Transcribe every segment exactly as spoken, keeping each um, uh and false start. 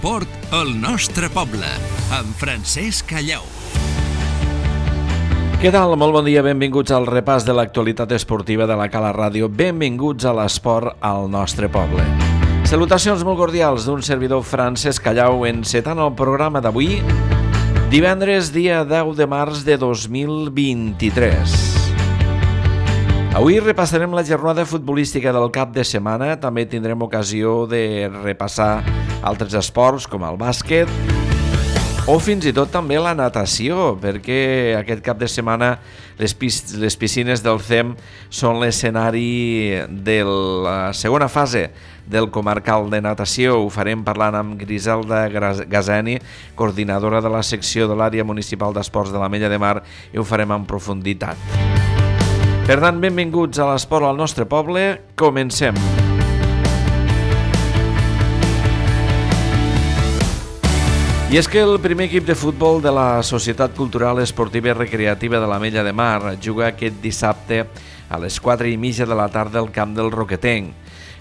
L'esport al nostre poble, amb Francesc Callau. Què tal? Molt bon dia, benvinguts al repàs de l'actualitat esportiva de la Cala Ràdio. Benvinguts a l'esport al nostre poble. Salutacions molt cordials d'un servidor Francesc Callau encetant el programa d'avui, divendres dia deu de març de dos mil vint-i-tres. Avui repassarem la jornada futbolística del cap de setmana. També tindrem ocasió de repassar altres esports com el bàsquet o fins i tot també la natació, perquè aquest cap de setmana les, pis- les piscines del C E M són l'escenari de la segona fase del comarcal de natació. Ho farem parlant amb Griselda Gazeni, coordinadora de la secció de l'àrea municipal d'esports de l'Ametlla de Mar, i ho farem en profunditat. Per tant, benvinguts a l'esport al nostre poble. Comencem. I és que el primer equip de futbol de la Societat Cultural Esportiva i Recreativa de l'Ametlla de Mar juga aquest dissabte a les quatre i mitja de la tarda al camp del Roquetenc.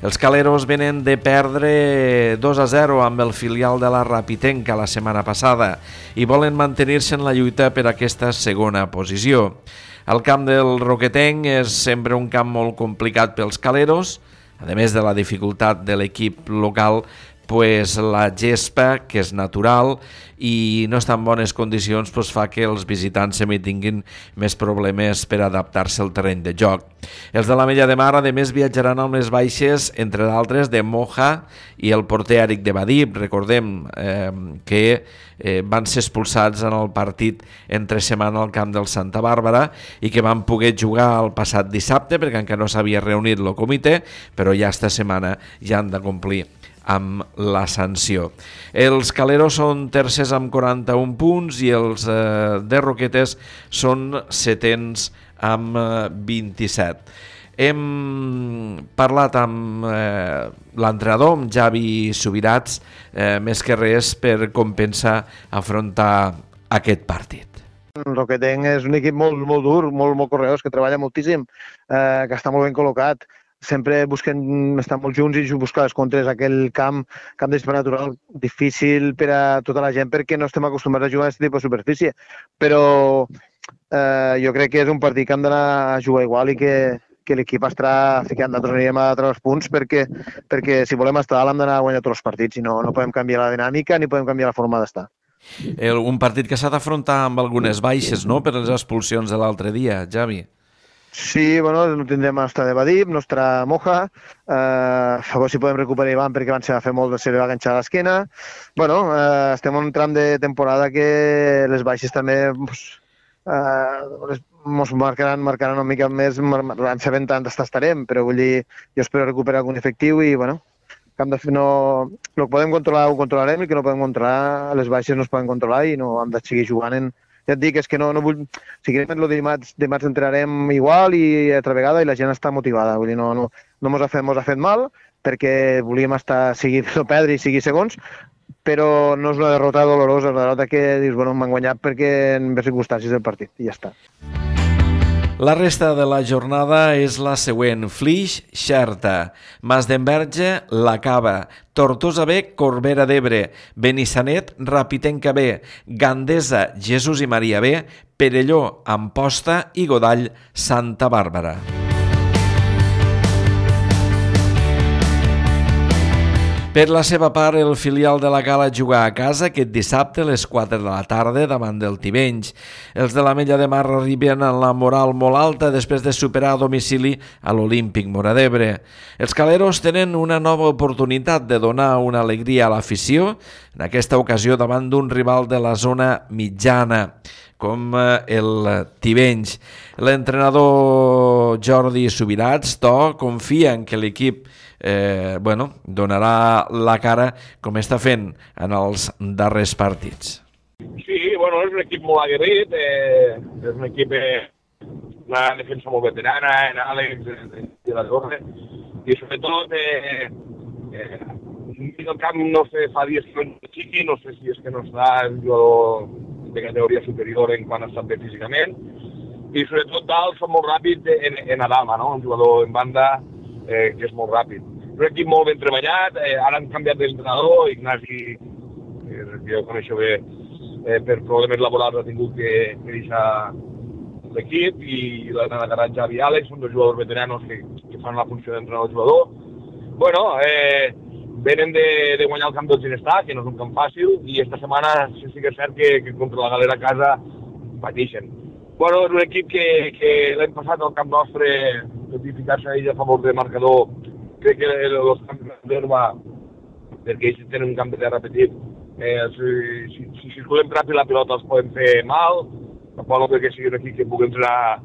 Els caleros venen de perdre dos a zero amb el filial de la Rapitenca la setmana passada i volen mantenir-se en la lluita per aquesta segona posició. El camp del Roquetenc és sempre un camp molt complicat pels caleros, a més de la dificultat de l'equip local, pues la gespa, que és natural i no està en bones condicions, pues fa que els visitants també tinguin més problemes per adaptar-se al terreny de joc. Els de l'Ametlla de Mar, a més, viatjaran amb les baixes, entre d'altres, de Moja i el porter Eric de Badip. Recordem eh, que eh, van ser expulsats en el partit entre setmana al camp del Santa Bàrbara i que van poder jugar el passat dissabte perquè encara no s'havia reunit el comitè, però ja esta setmana ja han de complir amb la sanció. Els caleros són tercers amb quaranta-un punts i els eh, de Roquetes són setens amb eh, vint-i-set. Hem parlat amb eh, l'entrenador, amb Javi Subirats, eh, més que res per com pensa afrontar aquest partit. El Roquetenc és un equip molt, molt dur, molt, molt correós, que treballa moltíssim, eh, que està molt ben col·locat. Sempre busquen estar molt junts i buscar les contres. Aquell camp, camp d'espai natural difícil per a tota la gent perquè no estem acostumats a jugar a aquest tipus de superfície. Però eh, jo crec que és un partit que hem d'anar a jugar igual i que, que l'equip estarà ficant. Nosaltres anirem a treure els punts perquè, perquè si volem estar dalt hem d'anar a guanyar tots els partits. Si no, no podem canviar la dinàmica ni podem canviar la forma d'estar. El, un partit que s'ha d'afrontar amb algunes baixes, no?, per les expulsions de l'altre dia, Javi. Sí, bueno, no tindrem el nostre de Badip, nostre Moja, eh, a veure si podem recuperar Ivan perquè van ser a fer molt de se li va enganxar a l'esquena. Bueno, eh, estem en un tram de temporada que les baixes també pues, eh, ens marcaran, marcaran una mica més, van sabent tant estarem, però vull dir, jo espero recuperar algun efectiu i, bueno, que hem de fer, no, el que podem controlar ho controlarem i el que no podem controlar, les baixes no es poden controlar i no hem de seguir jugant en... Ja et dic, és que no, no vull... Seguirem el dimarts, dimarts entrarem igual i altra vegada i la gent està motivada. Vull dir, no, no, no mos ha fet, mos ha fet mal perquè volíem estar, seguir no perdre i seguir segons, però no és una derrota dolorosa, una derrota que dius, bueno, m'han guanyat perquè en les circumstàncies del partit i ja està. La resta de la jornada és la següent. Flix, Xerta, Mas d'Enverge, La Cava, Tortosa B, Corbera d'Ebre, Benissanet, Rapitenca B, Gandesa, Jesús i Maria B, Perelló, Amposta i Godall, Santa Bàrbara. Per la seva part, el filial de la Cala juga a casa aquest dissabte a les quatre de la tarda davant del Tivenys. Els de l'Ametlla de Mar arriben amb la moral molt alta després de superar a domicili a l'Olímpic Móra d'Ebre. Els caleros tenen una nova oportunitat de donar una alegria a l'afició, en aquesta ocasió davant d'un rival de la zona mitjana, com el Tivenys. L'entrenador Jordi Subirats, to, confia en que l'equip Eh, bueno, donarà la cara com està fent en els darrers partits. Sí, bueno, és un equip molt aguerrit, eh, és un equip, eh, una defensa molt veterana, en Àlex, de la Torre, i sobretot, eh, eh, el camp no sé, fa dies que no és xiqui, no sé si és que no està el jugador de categoria superior en quan està bé físicament, i sobretot dalt són molt ràpids en, en Adama, no? Un jugador en banda eh, que és molt ràpid. Un equip molt ben treballat, eh, ara han canviat d'entrenador, Ignasi perquè jo coneixo bé, eh, per problemes laborals ha tingut que, que deixar l'equip, i l'Anna de Garat, Javi i Àlex, són dos jugadors veteranos que, que fan la funció d'entrenador-jugador. Bueno, eh, venen de, de guanyar el camp del Ginestà, que no és un camp fàcil, i esta setmana sí, sí que és cert que, que contra la Galera a casa pateixen. Bueno, és un equip que, que l'hem passat al camp nostre, tot i ficar-se a ell a favor de marcador, crec que els camps d'herba, perquè ells tenen un camp de terra petit, eh, si, si, si circulem ràpid la pilota els podem fer mal, tampoc no crec que sigui un equip que pugui entrenar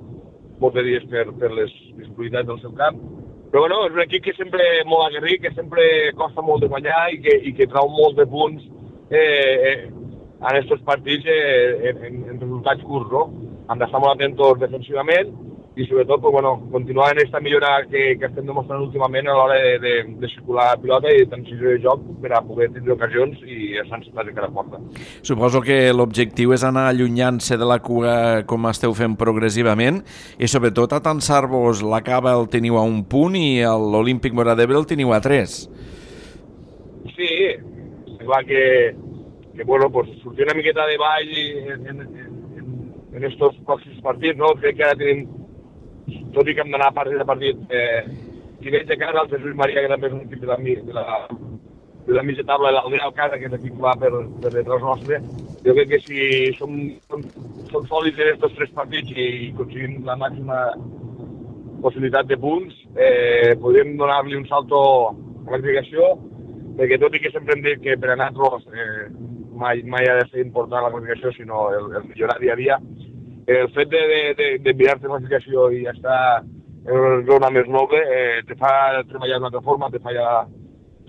molts de dies per, per les disponibilitats del seu camp. Però bueno, és un equip que sempre és molt aguerrit, que sempre costa molt de guanyar i que, i que trau molts de punts eh, eh, en aquests partits eh, en, en resultats curts, no? Hem d'estar molt atents defensivament i sobretot pues, bueno, continuar en aquesta millora que, que estem demostrant últimament a l'hora de, de, de circular la pilota i de transició de joc per a poder tenir ocasions i estar encetats de cara a porta. Suposo que l'objectiu és anar allunyant-se de la cua com esteu fent progressivament i sobretot atansar-vos. La Cava el teniu a un punt i l'Olímpic Móra-d'Ebre el teniu a tres. Sí, és clar que, que bueno, pues, sortir una miqueta de ball en, en, en, en estos pròxims partits, no? Crec que ara tenim, tot i que hem d'anar a partit a partit, eh, Ginets de casa, el Jesús Maria, que també és un equip de la, de la, de la mitja taula, l'Aldea Alcada, que és l'equip que va per, per detrás nostre. Jo crec que si som, som, som sòlids en aquests tres partits i aconseguim la màxima possibilitat de punts, eh, podem donar-li un salto a la classificació, perquè tot i que sempre hem dit que per a nosaltres eh, mai, mai ha de ser important la classificació, sinó el, el millorar dia a dia, el fet de, de, de, de mirar-te la classificació i estar en una zona més noble eh, te fa treballar d'una altra forma, te fa ja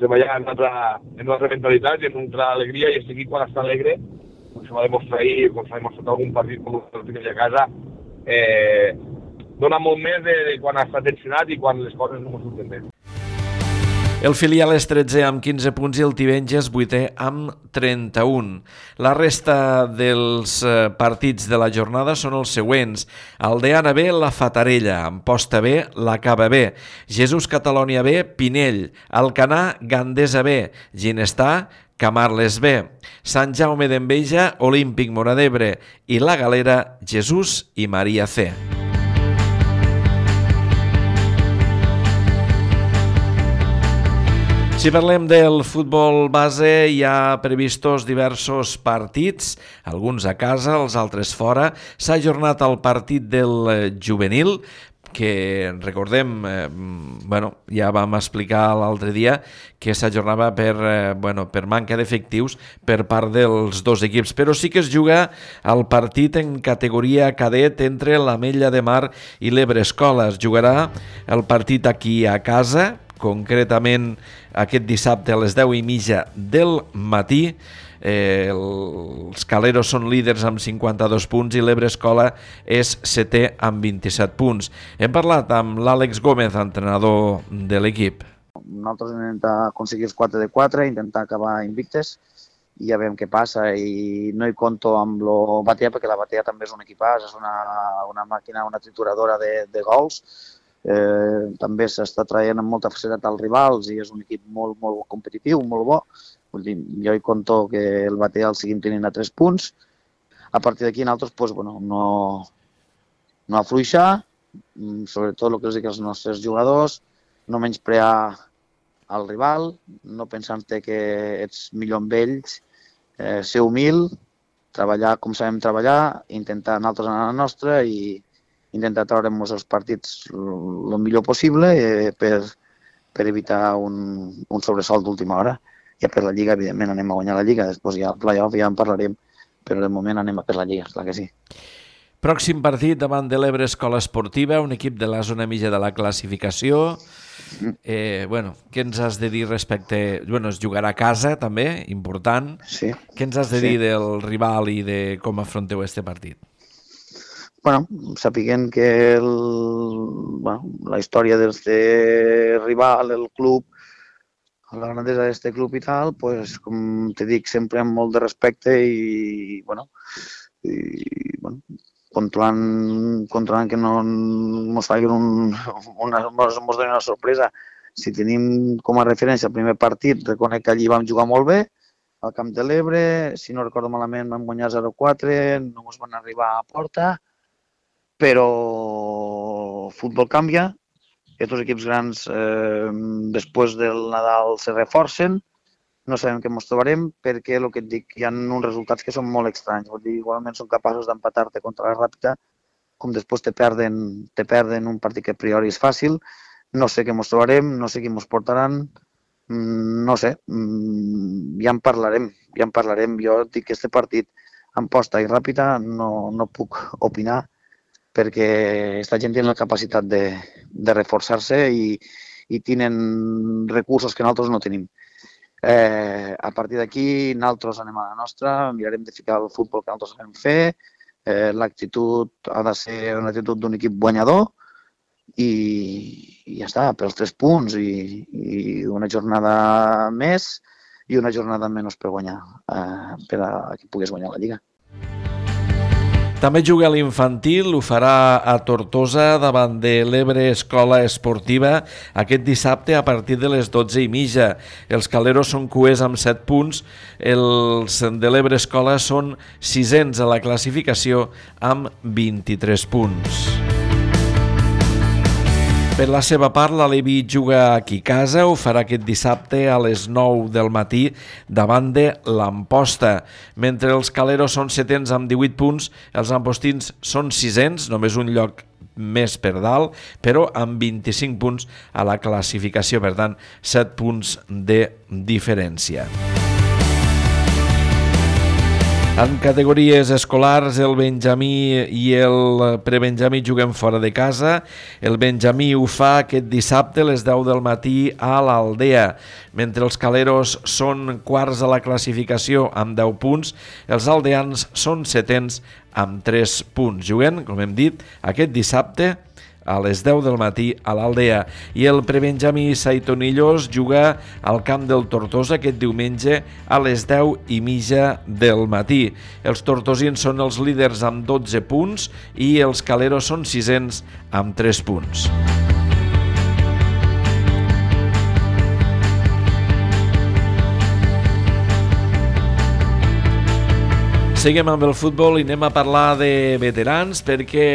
treballar en una altra, en una altra mentalitat i en una altra alegria, i és aquí quan està alegre, com se va demostrar ahir, com s'ha demostrat algun partit com el que a casa, eh, dona molt més de, de quan està tensionat i quan les coses no surten bé. El filial és tretzè amb quinze punts i el Tivenges vuitè amb trenta-un. La resta dels partits de la jornada són els següents. Aldeana B, la Fatarella. Amposta B, la Cava B. Jesús Catalònia B, Pinell. Alcanar, Gandesa B. Ginestà, Camarles B. Sant Jaume d'Enveja, Olímpic Móra-d'Ebre. I la Galera, Jesús i Maria C. Si parlem del futbol base, hi ha previstos diversos partits, alguns a casa, els altres fora. S'ha ajornat el partit del juvenil, que recordem, eh, bueno, ja vam explicar l'altre dia que s'ajornava per, eh, bueno, per manca d'efectius per part dels dos equips, però sí que es juga el partit en categoria cadet entre l'Ametlla de Mar i l'Ebre Escola. Es jugarà el partit aquí a casa, concretament aquest dissabte a les deu i mitja del matí. Eh, els Caleros són líders amb cinquanta-dos punts i l'Ebre Escola és setè amb vint-i-set punts. Hem parlat amb l'Àlex Gómez, entrenador de l'equip. Nosaltres hem d'intentar aconseguir els quatre de quatre, intentar acabar invictes i ja veiem què passa, i no hi compto amb lo Batea perquè la Batea també és un equipàs, és una, una màquina, una trituradora de, de gols. Eh, també s'està traient amb molta facilitat als rivals i és un equip molt, molt competitiu, molt bo. Vull dir, jo hi compto que el Batea el seguim tenint a tres punts. A partir d'aquí nosaltres pues, bueno, no, no afluixar, sobretot el que els dic als nostres jugadors, no menysprear al rival, no pensant-te que ets millor amb ells, eh, ser humil, treballar com sabem treballar, intentar nosaltres anar a la nostra i intentar treure'ns els partits el millor possible eh, per, per evitar un, un sobresalt d'última hora. Ja per la Lliga, evidentment, anem a guanyar la Lliga, després ja el play-off ja en parlarem, però de moment anem a per la Lliga, clar que sí. Pròxim partit davant de l'Ebre Escola Esportiva, un equip de la zona mitja de la classificació. Eh, bueno, què ens has de dir respecte... Bueno, es jugarà a casa, també, important. Sí. Què ens has de sí. dir del rival i de com afronteu este partit? Bueno, sapiguem que el, bueno, la història d'este rival, el club, la grandesa d'este club i tal, pues, com te dic, sempre amb molt de respecte i, bueno, i, bueno controlant, controlant que no ens facin un, una, mos, mos donin una sorpresa. Si tenim com a referència el primer partit, reconec que allí vam jugar molt bé, al Camp de l'Ebre, si no recordo malament vam guanyar zero quatre, no ens van arribar a porta, però el futbol canvia, aquests equips grans eh, després del Nadal se reforcen, no sabem què ens trobarem perquè el que et dic, hi ha uns resultats que són molt estranys, vull dir, igualment són capaços d'empatar-te contra la Ràpita, com després te perden, te perden un partit que a priori és fàcil, no sé què ens trobarem, no sé qui ens portaran, no sé, ja en parlarem, ja en parlarem. Jo dic que aquest partit en posta i ràpida no, no puc opinar perquè aquesta gent té la capacitat de, de reforçar-se i, i tenen recursos que nosaltres no tenim. Eh, a partir d'aquí, nosaltres anem a la nostra, mirarem de ficar el futbol que nosaltres sabem fer, eh, l'actitud ha de ser una actitud d'un equip guanyador, i, i ja està, pels tres punts i, i una jornada més i una jornada menys per guanyar, eh, per a que puguis guanyar la Lliga. També juga a l'infantil, ho farà a Tortosa davant de l'Ebre Escola Esportiva aquest dissabte a partir de les dotze i mitja. Els caleros són cuers amb set punts, els de l'Ebre Escola són sisens a la classificació amb vint-i-tres punts. Per la seva part, l'Alevi juga aquí a casa, ho farà aquest dissabte a les nou del matí davant de l'Amposta. Mentre els caleros són setens amb divuit punts, els ampostins són sisens, només un lloc més per dalt, però amb vint-i-cinc punts a la classificació, per tant, set punts de diferència. En categories escolars, el Benjamí i el prebenjamí juguen fora de casa. El Benjamí ho fa aquest dissabte a les deu del matí a l'Aldea. Mentre els caleros són quarts a la classificació amb deu punts, els aldeans són setens amb tres punts. Juguen, com hem dit, aquest dissabte a les deu del matí a l'Aldea. I el prebenjamí Saitonillos juga al camp del Tortosa aquest diumenge a les deu i mitja del matí. Els tortosins són els líders amb dotze punts i els caleros són sisens amb tres punts. Seguim amb el futbol i anem a parlar de veterans perquè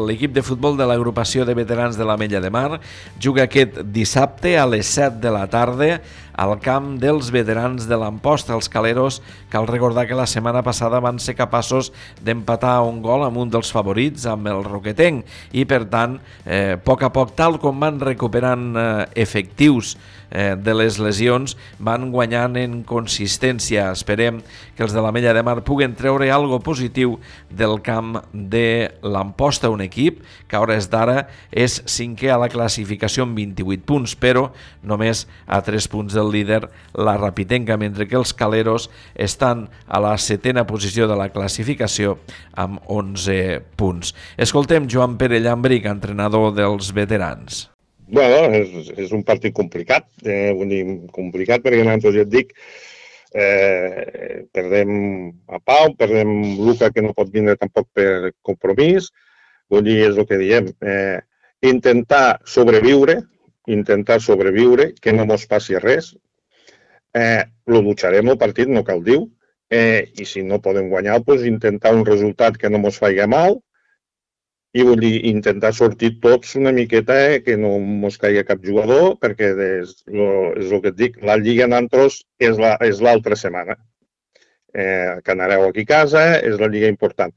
l'equip de futbol de l'agrupació de veterans de l'Ametlla de Mar juga aquest dissabte a les set de la tarda al camp dels veterans de l'Amposta, els caleros. Cal recordar que la setmana passada van ser capaços d'empatar un gol amb un dels favorits, amb el Roquetenc, i per tant, eh, a poc a poc, tal com van recuperant eh, efectius eh, de les lesions, van guanyant en consistència. Esperem que els de l'Ametlla de Mar puguen treure algo positiu del camp de l'Amposta, un equip que a hores d'ara és cinquè a la classificació amb vint-i-vuit punts, però només a tres punts del líder, la Rapitenca, mentre que els caleros estan a la setena posició de la classificació amb onze punts. Escoltem Joan Pere Llambric, entrenador dels veterans. Bueno, és, és un partit complicat, eh, vull dir, complicat perquè nosaltres ja et dic, eh, perdem a Pau, perdem Luca, que no pot vindre tampoc per compromís, vull dir, és el que diem, eh, intentar sobreviure, intentar sobreviure, que no mos passi res, eh, lo lucharem el partit, no cal dir, eh, i si no podem guanyar, doncs intentar un resultat que no mos faci mal, i vull dir, intentar sortir tots una miqueta, eh, que no mos caigui cap jugador, perquè és, lo, és el que et dic, la Lliga Nantros és l'altra la, setmana. Eh, que anareu aquí a casa, és la Lliga important.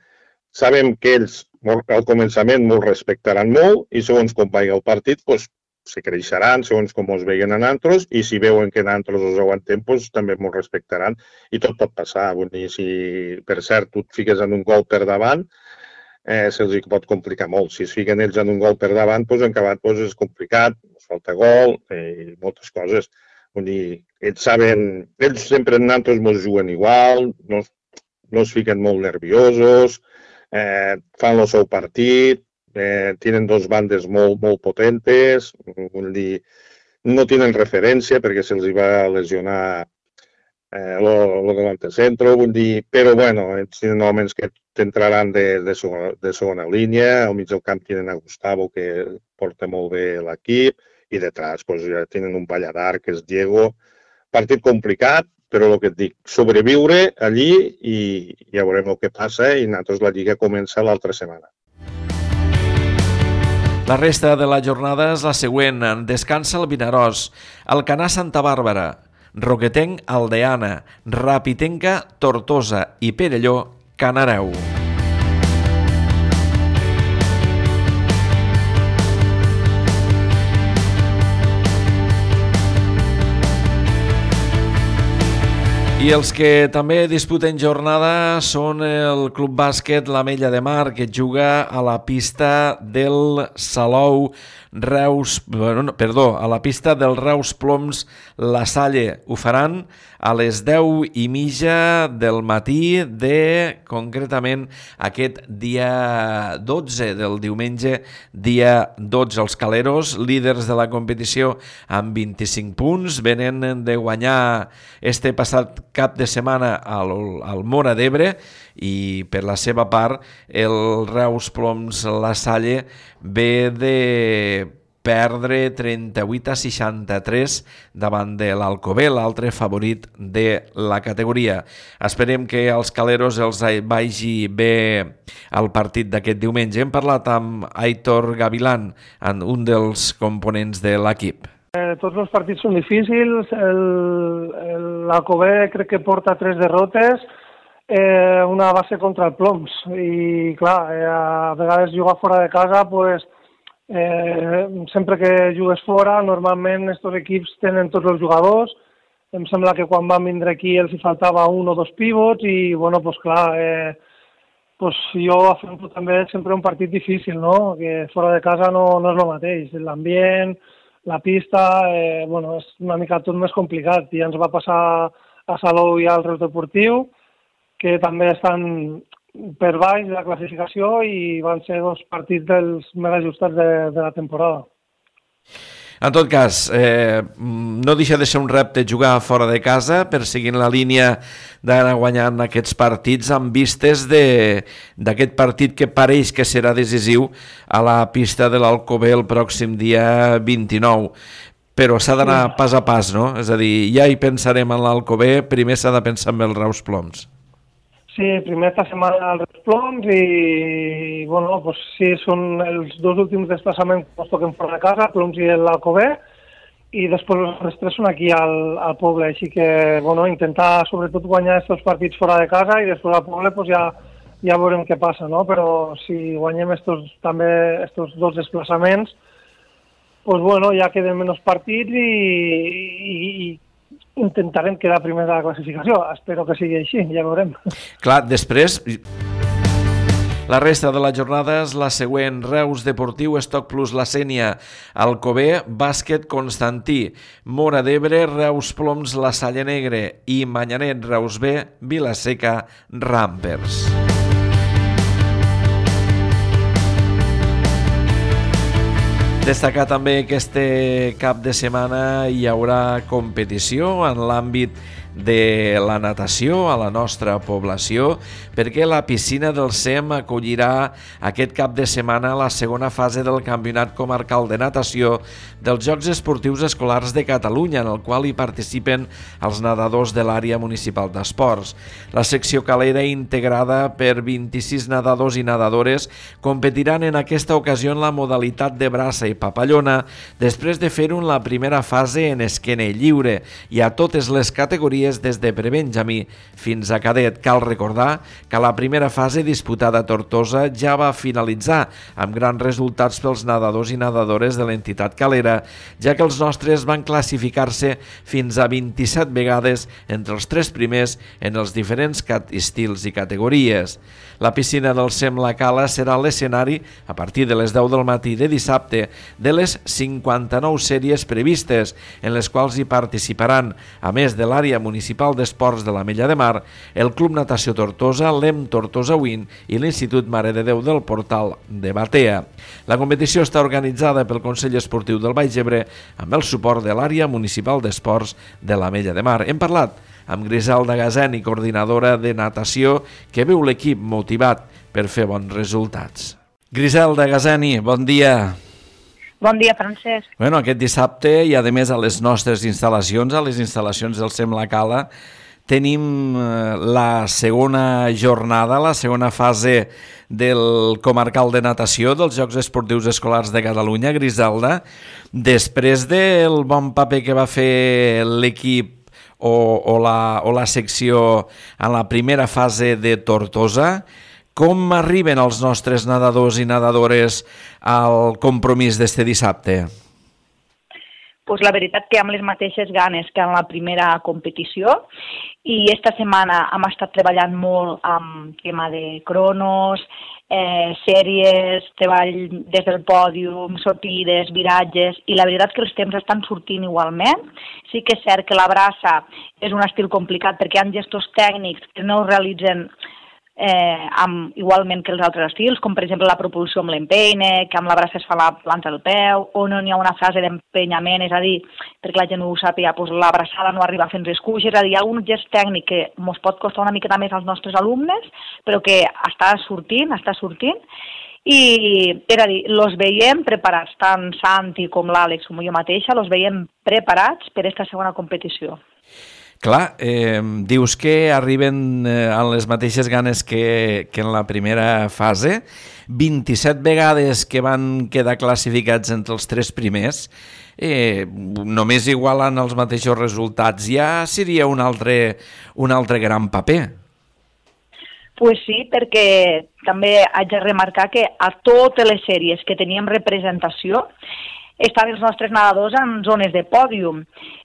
Sabem que ells al començament ens respectaran molt i segons com vagi el partit, doncs, se creixeran segons com ens veien a Nantros i si veuen que Nantros els aguantem, doncs, també ens respectaran i tot pot passar. Vull dir, si per cert tu et fiques en un gol per davant, eh, se'ls pot complicar molt. Si es fiquen ells en un gol per davant, doncs, en acabat doncs, és complicat, ens falta gol i eh, moltes coses. Vull dir, ells saben, ells sempre en Nantros ens juguen igual, no, no es fiquen molt nerviosos, eh, fan el seu partit, Eh, tenen dos bandes molt, molt potentes, vull dir, no tenen referència perquè se'ls va lesionar eh, el delante centro, vull dir, però bueno, tenen homes que t'entraran de, de, segona, de segona línia, al mig del camp tenen a Gustavo que porta molt bé l'equip i detrás pues, ja tenen un balladar que és Diego. Partit complicat, però el que et dic, sobreviure allí i ja veurem el que passa i nosaltres la Lliga comença l'altra setmana. La resta de la jornada és la següent. Descansa el Vinaròs, Alcanar Santa Bàrbara, Roquetenc Aldeana, Rapitenca Tortosa i Perelló Canareu. I els que també disputen jornada són el Club Bàsquet l'Ametlla de Mar, que juga a la pista del Salou Reus, bueno, perdó, a la pista del Reus Ploms La Salle. Ho faran a les deu i mitja del matí de, concretament, aquest dia dotze, del diumenge, dia dotze. Els caleros, líders de la competició amb vint-i-cinc punts, venen de guanyar este passat cap de setmana al, al Móra d'Ebre, i per la seva part el Reus Ploms La Salle ve de perdre trenta-vuit a seixanta-tres davant de l'Alcover, l'altre favorit de la categoria. Esperem que als caleros els vagi bé el partit d'aquest diumenge. Hem parlat amb Aitor Gavilán, un dels components de l'equip. Eh, tots els partits són difícils, l'Alcover crec que porta tres derrotes, eh, una va ser contra el Ploms, i clar, eh, a vegades jugar fora de casa, pues, eh, sempre que jugues fora, normalment aquests equips tenen tots els jugadors, em sembla que quan van vindre aquí els hi faltava un o dos pivots, i bueno, pues clar, eh, pues jo afronto també sempre un partit difícil, no? Que fora de casa no, no és el mateix, l'ambient, la pista, eh, bueno, és una mica tot més complicat. Ja ens va passar a Salou i al Reus Deportiu, que també estan per baix de la classificació i van ser dos partits dels més ajustats de, de la temporada. En tot cas, eh, no deixa de ser un repte jugar fora de casa, perseguint la línia d'anar guanyant aquests partits amb vistes d'aquest partit que pareix que serà decisiu a la pista de l'Alcover el pròxim dia vint-i-nou. Però s'ha d'anar pas a pas, no? És a dir, ja hi pensarem en l'Alcover, primer s'ha de pensar en el Reus Ploms. Sí, primer esta setmana al Reus Ploms i, bueno, pues sí, són els dos últims desplaçaments que ens toquen fora de casa, Ploms i l'Alcover, i després els tres són aquí al, al poble, així que, bueno, intentar sobretot guanyar aquests partits fora de casa i després al poble pues ja, ja veurem què passa, no? Però si guanyem estos, també estos dos desplaçaments, pues bueno, ja queden menys partits i, i, i intentarem quedar primer de la classificació. Espero que sigui així, ja veurem. Clar, després, la resta de la jornada és la següent: Reus Deportiu, Estoc Plus La Sénia, Alcover, Bàsquet Constantí, Móra d'Ebre, Reus Ploms La Salle Negre i Manyanet Reus B, Vila-seca Rampers. Destacar també que este cap de setmana hi haurà competició en l'àmbit de la natació a la nostra població, perquè la piscina del S E M acollirà aquest cap de setmana la segona fase del Campionat Comarcal de Natació dels Jocs Esportius Escolars de Catalunya, en el qual hi participen els nedadors de l'àrea municipal d'esports. La secció calera, integrada per vint-i-sis nedadors i nedadores, competiran en aquesta ocasió en la modalitat de braça i papallona, després de fer-ho en la primera fase en esquena lliure i a totes les categories des de prebenjamí fins a cadet. Cal recordar que la primera fase disputada a Tortosa ja va finalitzar amb grans resultats pels nedadors i nedadores de l'entitat calera, ja que els nostres van classificar-se fins a vint-i-set vegades entre els tres primers en els diferents estils i categories. La piscina del S E M La Cala serà l'escenari a partir de les deu del matí de dissabte de les cinquanta-nou sèries previstes, en les quals hi participaran, a més de l'àrea municipal d'esports de l'Ametlla de Mar, el Club Natació Tortosa, l'E M Tortosa Win i l'Institut Mare de Déu del Portal de Batea. La competició està organitzada pel Consell Esportiu del Baix Ebre amb el suport de l'àrea municipal d'esports de l'Ametlla de Mar. Hem parlat amb Griselda Gazeni, coordinadora de natació, que veu l'equip motivat per fer bons resultats. Griselda Gazeni, bon dia. Bon dia, Francesc. Bueno, aquest dissabte, i a més a les nostres instal·lacions, a les instal·lacions del S E M La Cala, tenim la segona jornada, la segona fase del comarcal de natació dels Jocs Esportius Escolars de Catalunya, Griselda. Després del bon paper que va fer l'equip o, o, la, o la secció en la primera fase de Tortosa, com arriben els nostres nedadors i nedadores al compromís d'este dissabte? Pues la veritat que amb les mateixes ganes que en la primera competició, i esta setmana hem estat treballant molt amb tema de cronos, eh, sèries, treball des del pòdium, sortides, viratges, i la veritat que els temps estan sortint igualment. Sí que és cert que la braça és un estil complicat perquè hi ha gestos tècnics que no es realitzen Eh, amb, igualment que els altres estils, com per exemple la propulsió amb l'empeine, que amb la braça es fa la planta del peu, o no n'hi ha una fase d'empenyament, és a dir, perquè la gent ho sàpiga, doncs la braçada no arriba fins als cuix, és a dir, hi ha un gest tècnic que ens pot costar una miqueta més als nostres alumnes, però que està sortint, està sortint, i és a dir, els veiem preparats, tant Santi com l'Àlex com jo mateixa, els veiem preparats per aquesta segona competició. Clar, eh, dius que arriben eh, amb les mateixes ganes que, que en la primera fase. vint-i-set vegades que van quedar classificats entre els tres primers, eh, només igualant els mateixos resultats, ja seria un altre, un altre gran paper. Pues sí, perquè també haig de remarcar que a totes les sèries que teníem representació estaven els nostres nedadors en zones de pòdium.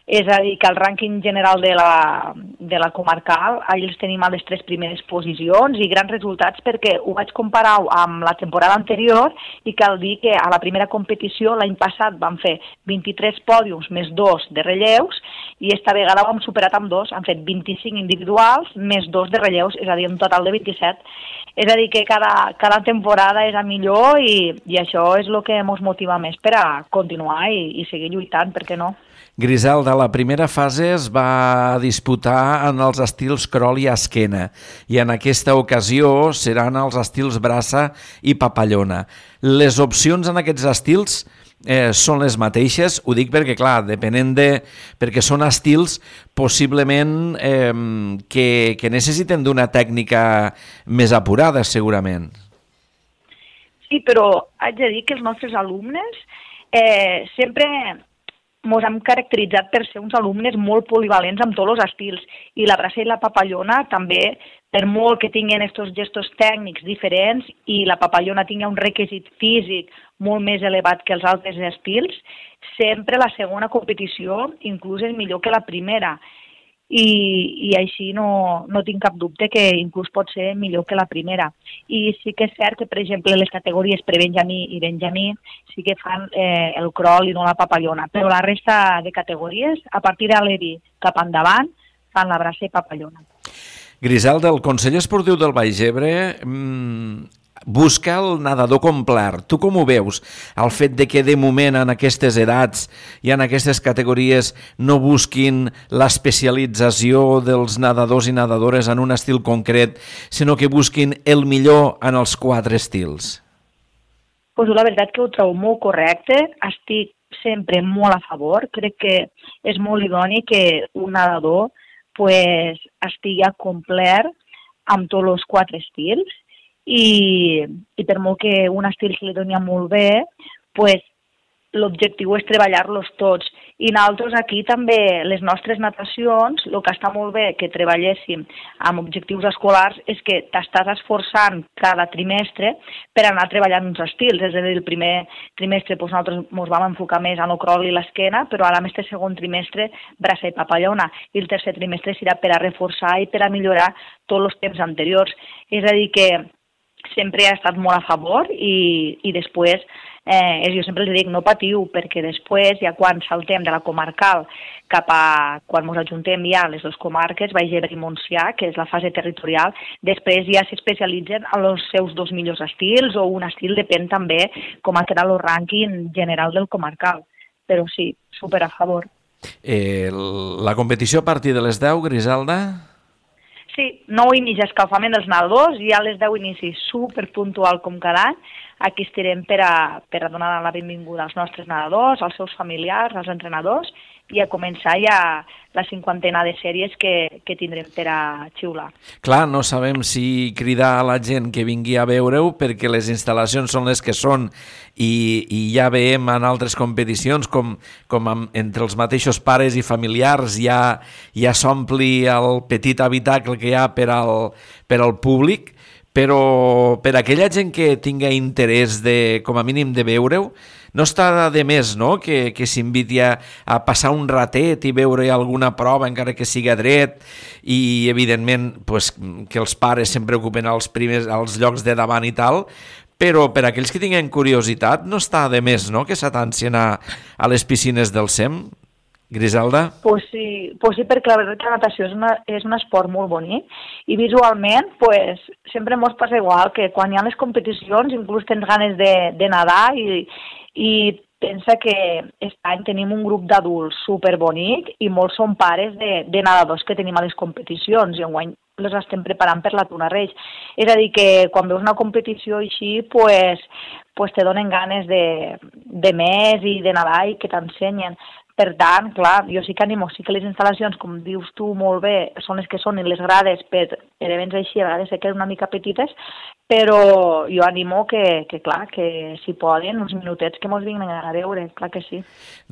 És a dir, que el rànquing general de la, de la comarcal, allà els tenim a les tres primeres posicions i grans resultats perquè ho vaig comparar amb la temporada anterior i cal dir que a la primera competició l'any passat vam fer vint-i-tres pòdiums més dos de relleus i esta vegada ho hem superat amb dos, han fet vint-i-cinc individuals més dos de relleus, és a dir, un total de vint-i-set. És a dir, que cada, cada temporada és a millor i, i això és el que ens motiva més per a continuar i, i seguir lluitant, per què no? Griselda, la primera fase es va disputar en els estils crawl i esquena i en aquesta ocasió seran els estils braça i papallona. Les opcions en aquests estils eh, són les mateixes, ho dic perquè, clar, depenent de... perquè són estils possiblement eh, que, que necessiten d'una tècnica més apurada, segurament. Sí, però haig de dir que els nostres alumnes eh, sempre ens hem caracteritzat per ser uns alumnes molt polivalents amb tots els estils i la braça i la papallona també, per molt que tinguin aquests gestos tècnics diferents i la papallona tingui un requisit físic molt més elevat que els altres estils, sempre la segona competició inclús és millor que la primera. I, i així no, no tinc cap dubte que inclús pot ser millor que la primera. I sí que és cert que, per exemple, les categories pre-benjamí i benjamí sí que fan eh, el crawl i no la papallona, però la resta de categories, a partir de l'E V I cap endavant, fan la braça i papallona. Griselda, el Consell Esportiu del Baix Ebre mmm, busca el nedador complet. Tu com ho veus? El fet de que de moment en aquestes edats i en aquestes categories no busquin l'especialització dels nedadors i nedadores en un estil concret, sinó que busquin el millor en els quatre estils? Pues la veritat que ho trobo molt correcte, estic sempre molt a favor, crec que és molt idoni que un nedador pues, estigui complet amb tots els quatre estils, I, i per molt que un estil se li doni molt bé, pues, l'objectiu és treballar-los tots. I nosaltres aquí també, les nostres natacions, el que està molt bé que treballéssim amb objectius escolars és que t'estàs esforçant cada trimestre per anar treballant uns estils. És a dir, el primer trimestre doncs, nosaltres ens vam enfocar més en el crawl i l'esquena, però ara en aquest segon trimestre braça i papallona. I el tercer trimestre serà per a reforçar i per a millorar tots els temps anteriors. És a dir, que sempre ha estat molt a favor i, i després, eh, jo sempre els dic, no patiu, perquè després, ja quan saltem de la comarcal cap a, quan ens ajuntem ja a les dues comarques, Baix Ebre i Montsià, que és la fase territorial, després ja s'especialitzen en els seus dos millors estils o un estil, depèn també com ha quedat el rànquing general del comarcal. Però sí, super a favor. Eh, la competició a partir de les deu, Griselda? Sí, nou inici escalfament dels nedadors i a les deu inicis superpuntual com cada any, aquí estarem per a, per a donar la benvinguda als nostres nedadors, als seus familiars, als entrenadors, i a començar ja la cinquantena de sèries que, que tindrem per a xiular. Clar, no sabem si cridar a la gent que vingui a veure-ho perquè les instal·lacions són les que són i, i ja veiem en altres competicions com, com amb, entre els mateixos pares i familiars ja, ja s'ompli el petit habitacle que hi ha per al, per al públic, però per aquella gent que tinga interès de, com a mínim de veure-ho, no està de més, no?, que, que s'inviti a, a passar un ratet i veure alguna prova, encara que siga dret, i, evidentment, pues, que els pares sempre ocupen els primers, els llocs de davant i tal, però per aquells que tinguen curiositat no està de més, no?, que s'atancien a, a les piscines del S E M. Griselda? Pues sí, pues sí, perquè la veritat que la natació és, una, és un esport molt bonic i visualment pues, sempre mos passa igual que quan hi ha les competicions inclús tens ganes de, de nedar i, i pensa que aquest any tenim un grup d'adults superbonic i molts són pares de, de nedadors que tenim a les competicions i enguany les estem preparant per la Tuna Reig. És a dir, que quan veus una competició així, pues, pues te donen ganes de, de més i de nedar i que t'ensenyen. Per tant, clar, jo sí que animo, sí que les instal·lacions, com dius tu molt bé, són les que són i les grades per events així, a vegades se queden una mica petites, però jo animo que, que clar, que si poden, uns minutets que mos vinguin a veure, clar que sí.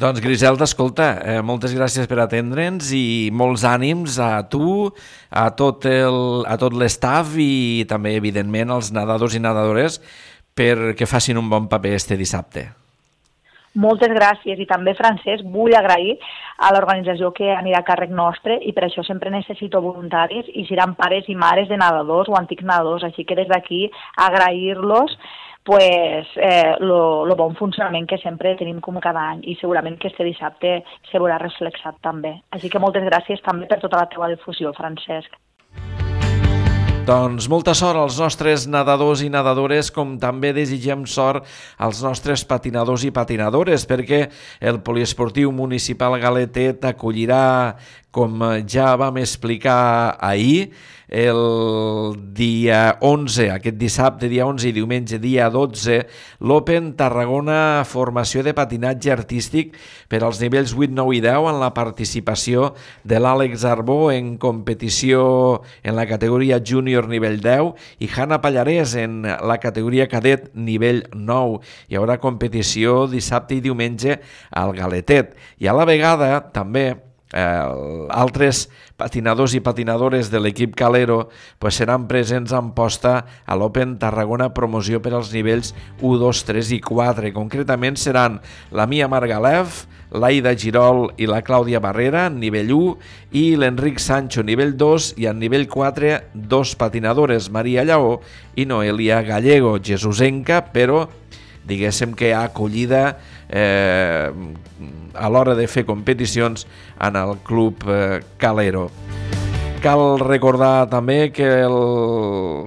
Doncs Griselda, escolta, eh, moltes gràcies per atendre'ns i molts ànims a tu, a tot el, a tot l'estaf i també, evidentment, als nedadors i nedadores perquè facin un bon paper este dissabte. Moltes gràcies i també, Francesc, vull agrair a l'organització que anirà a càrrec nostre i per això sempre necessito voluntaris i seran pares i mares de nedadors o antics nedadors, així que des d'aquí agrair-los pues, eh, lo, lo bon funcionament que sempre tenim com cada any i segurament que este dissabte se veurà reflexat també. Així que moltes gràcies també per tota la teva difusió, Francesc. Doncs molta sort als nostres nedadors i nedadores, com també desitgem sort als nostres patinadors i patinadores, perquè el Poliesportiu Municipal Galetet acollirà, com ja vam explicar ahir, el dia onze, aquest dissabte, dia onze i diumenge, dia dotze, l'Open Tarragona Formació de Patinatge Artístic per als nivells vuit, nou i deu en la participació de l'Àlex Arbó en competició en la categoria júnior nivell deu i Hanna Pallarès en la categoria cadet nivell nou. Hi haurà competició dissabte i diumenge al Galetet. I a la vegada també Eh, altres patinadors i patinadores de l'equip Calero pues, seran presents en posta a l'Open Tarragona Promoció per als nivells u, dos, tres i quatre. Concretament seran la Mia Margalef, l'Aida Girol i la Clàudia Barrera en nivell u i l'Enric Sancho nivell dos i en nivell quatre dos patinadores, Maria Lleó i Noelia Gallego, jesusenca, però diguéssim que ha acollida eh, a l'hora de fer competicions en el club eh, Calero. Cal recordar també que el,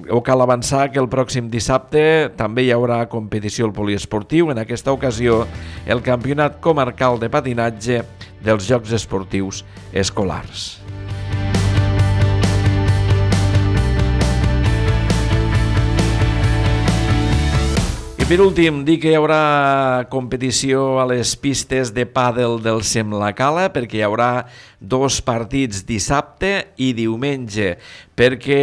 o cal avançar que el pròxim dissabte també hi haurà competició al poliesportiu, en aquesta ocasió el Campionat Comarcal de Patinatge dels Jocs Esportius Escolars. Per últim, dir que hi haurà competició a les pistes de pàdel del S E M La Cala perquè hi haurà dos partits dissabte i diumenge, perquè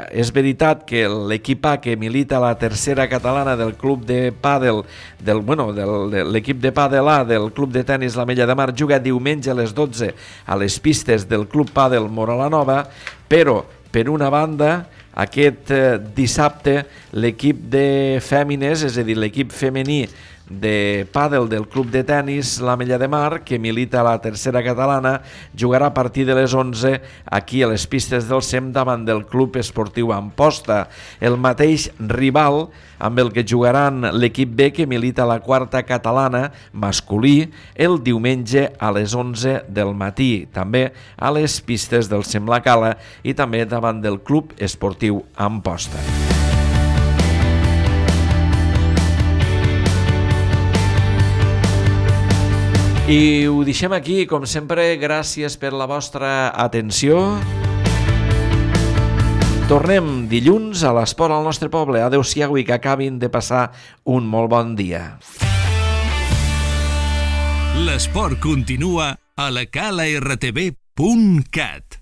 és veritat que l'equip A que milita a la tercera catalana del club de pàdel, del, bueno, del, de l'equip de pàdel A del club de tenis La Mella de Mar juga diumenge a les dotze a les pistes del club pàdel Mora la Nova, però per una banda aquest eh, dissabte l'equip de fèmines, és a dir, l'equip femení de pàdel del club de tenis La Mella de Mar, que milita a la tercera catalana, jugarà a partir de les onze aquí a les pistes del S E M davant del club esportiu Amposta. El mateix rival amb el que jugaran l'equip B que milita a la quarta catalana masculí el diumenge a les onze del matí, també a les pistes del S E M La Cala i també davant del club esportiu Amposta. I ho deixem aquí, com sempre, gràcies per la vostra atenció. Tornem dilluns a l'Esport al nostre poble. Adéu-siau i que acabin de passar un molt bon dia. L'esport continua a la cala r t v punt cat.